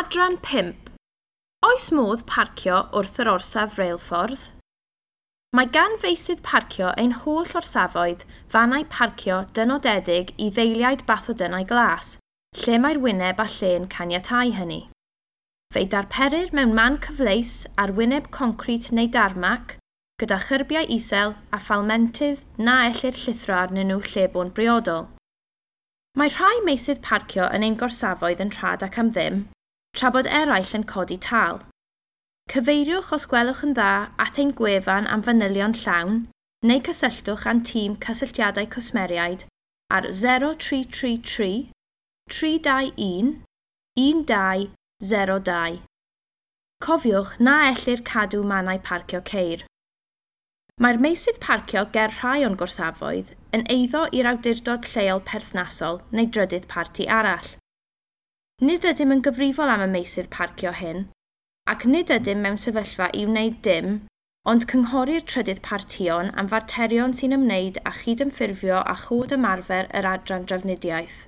Adran 5. Oes modd parcio wrth yr orsaf reilffordd? Mae gan feysydd parcio ein holl orsafoedd fannau parcio dynodedig i ddeiliaid bathodynnau glas, lle mae'r wyneb a lle'n caniatáu hynny. Fe'i darperir mewn man cyfleus ar wyneb concrit neu darmac, gyda chyrbiau isel a phalmentydd na ellir llithro arnyn nhw lle bo'n briodol. Mae rhai meysydd parcio yn ein gorsafoedd yn rhad ac am ddim, tra bod eraill yn codi tâl. Cyfeiriwch os gwelwch yn dda at ein gwefan am fanylion llawn, neu cysylltwch â'n tîm cysylltiadau cwsmeriaid ar 0333 321 1202. Cofiwch na ellir cadw mannau parcio ceir. Mae'r meysydd parcio ger rhai o'n gorsafoedd yn eiddo i'r awdurdod lleol perthnasol neu drydydd parti arall. Nid ydym yn gyfrifol am y meysydd parcio hyn, ac nid ydym mewn sefyllfa i wneud dim, ond cynghori'r trydydd partïon am faterion sy'n ymwneud â chydymffurfio â chod ymarfer yr Adran Drafnidiaeth.